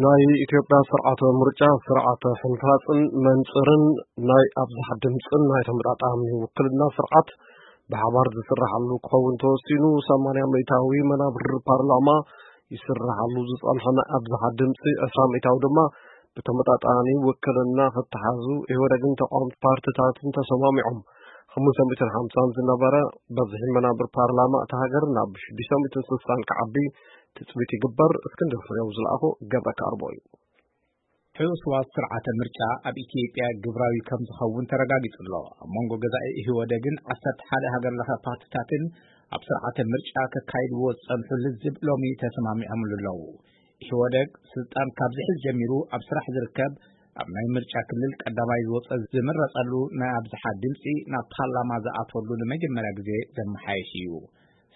ናይ ኢትዮጵያ ስርዓተ ምርጫ፣ ስርዓተ ሕንፋፅን መንፅርን ናይ ኣብዝሓ ድምፅን ናይ ተመጣጣኒ ውክልና ስርዓት ብሓባር ዝስራሓሉ ክኸውን ተወሲኑ። ሰማንያ ሚእታዊ መናብር ፓርላማ ይስራሓሉ ዝፀንሐ ናይ ኣብዝሓ ድምፂ፣ ዕስራ ሚእታዊ ድማ ብተመጣጣኒ ውክልና ክተሓዙ ኢህወደግን ተቃወምቲ ፓርትታትን ተሰማሚዖም። ሓሙሽተ ሚእትን ሓምሳን ዝነበረ በዝሒ መናብር ፓርላማ እታ ሃገር ናብ ሽዱሽተ ሚእትን ስሳን ክዓቢ ትፅቢት ይግበር። እስክንድር ፍሬው ዝለኣኾ ገብረ ካርቦ እዩ። ሕውስዋስ ስርዓተ ምርጫ ኣብ ኢትዮጵያ ግብራዊ ከም ዝኸውን ተረጋጊጹ ኣሎ። ኣብ መንጎ ገዛኢ ኢህወደግን ዓሰርተ ሓደ ሃገር ለኸ ፓርትታትን ኣብ ስርዓተ ምርጫ ከካይድዎ ዝጸንሑ ልዝብ ሎሚ ተሰማሚዖምሉ ኣለዉ። ኢህወደግ ስልጣን ካብ ዝሕዝ ጀሚሩ ኣብ ስራሕ ዝርከብ፣ ኣብ ናይ ምርጫ ክልል ቀዳማይ ዝወጸ ዝምረጸሉ ናይ ኣብዝሓ ድምጺ ናብ ፓርላማ ዝኣትወሉ ንመጀመርያ ግዜ ዘመሓየሽ እዩ።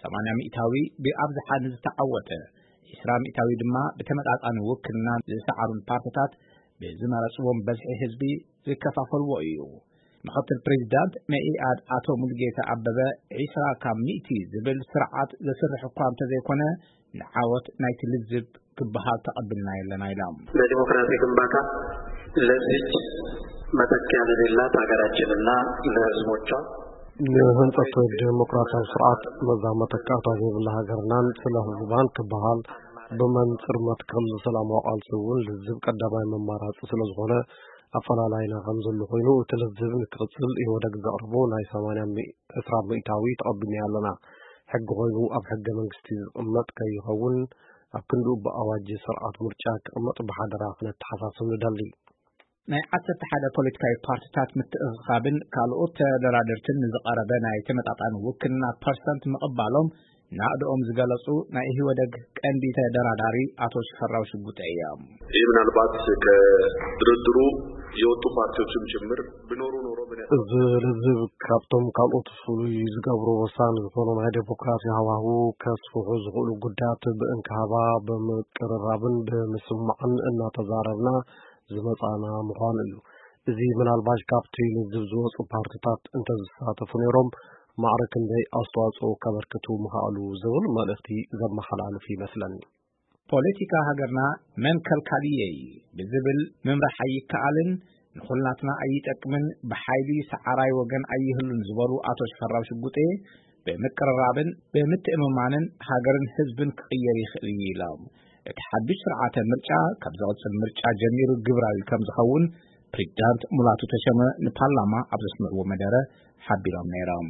ሰማንያ ሚእታዊ ብኣብዝሓ ንዝተዓወተ፣ ዕስራ ሚእታዊ ድማ ብተመጣጣኒ ውክልና ዝሰዓሩን ፓርትታት ብዝመረጽዎም በዝሒ ህዝቢ ዝከፋፈልዎ እዩ። ምኽትል ፕሬዚዳንት መኢኣድ ኣቶ ሙሉጌታ ኣበበ፣ ዕስራ ካብ ሚእቲ ዝብል ስርዓት ዘስርሕ እኳ እንተዘይኮነ፣ ንዓወት ናይቲ ልዝብ ክበሃል ተቐቢልና የለና ኢሎም። ለዲሞክራሲ ግንባታ፣ ለዚች መተኪያ ለሌላት ሀገራችንና ለህዝቦቿ ንህንጸት ዴሞክራሲያዊ ስርዓት፣ ነዛ መተካእታ ዘይብላ ሃገርናን ስለ ህዝባን ክበሃል፣ ብመንጽር መትከል ሰላማዊ ቃልሲ እውን ልዝብ ቀዳማይ መማራጺ ስለ ዝኾነ፣ ኣፈላላይና ከም ዘሎ ኮይኑ፣ እቲ ልዝብ ንክቕጽል ኢህወደግ ዘቕርቦ ናይ ሰማንያ ሚእ-፣ ዕስራ ሚእታዊ ተቐቢልና ኣለና። ሕጊ ኮይኑ ኣብ ሕገ መንግስቲ ዝቕመጥ ከይኸውን፣ ኣብ ክንድኡ ብኣዋጅ ስርዓት ምርጫ ክቕመጥ ብሓደራ ክነተሓሳስብ ንደሊ። ናይ ዓሰርተ ሓደ ፖለቲካዊ ፓርትታት ምትእኽኻብን ካልኦት ተደራደርትን ንዝቐረበ ናይ ተመጣጣኒ ውክልና ፐርሰንት ምቕባሎም ናእድኦም ዝገለጹ ናይ ኢህወደግ ቀንዲ ተደራዳሪ ኣቶ ሽፈራው ሽጉጤ እዮም። ይህ ምናልባት ከድርድሩ የወጡ ፓርቲዎችም ጭምር ብኖሩ ኖሮ ምን ያህል እዚ ልዝብ ካብቶም ካልኦት ፍሉይ ዝገብሮ ወሳኒ ዝኾነ ናይ ዴሞክራሲ ሃዋህው ከስፍሑ ዝኽእሉ ጉዳያት ብእንክሃባ ብምቅርራብን ብምስማዕን እናተዛረብና ዝመጻና ምዃኑ እዩ። እዚ ምናልባሽ ካብቲ ልዝብ ዝወጹ ፓርትታት እንተዝሳተፉ ነይሮም፣ ማዕረ ክንደይ ኣስተዋጽኦ ከበርክቱ ምኽኣሉ ዝብል መልእኽቲ ዘመሓላልፍ ይመስለኒ። ፖለቲካ ሃገርና መን ከልካልየይ ብዝብል ምምራሕ ኣይከኣልን፣ ንኹልናትና ኣይጠቅምን፣ ብሓይሊ ሰዓራይ ወገን ኣይህሉን ዝበሉ ኣቶ ሽፈራው ሽጉጤ፣ ብምቅርራብን ብምትእምማንን ሃገርን ህዝብን ክቕየር ይኽእል እዩ ኢሎም። እቲ ሓድሽ ስርዓተ ምርጫ ካብ ዝቕጽል ምርጫ ጀሚሩ ግብራዊ ከም ዝኸውን ፕሬዚዳንት ሙላቱ ተሸመ ንፓርላማ ኣብ ዘስምዕዎ መደረ ሓቢሮም ነይሮም።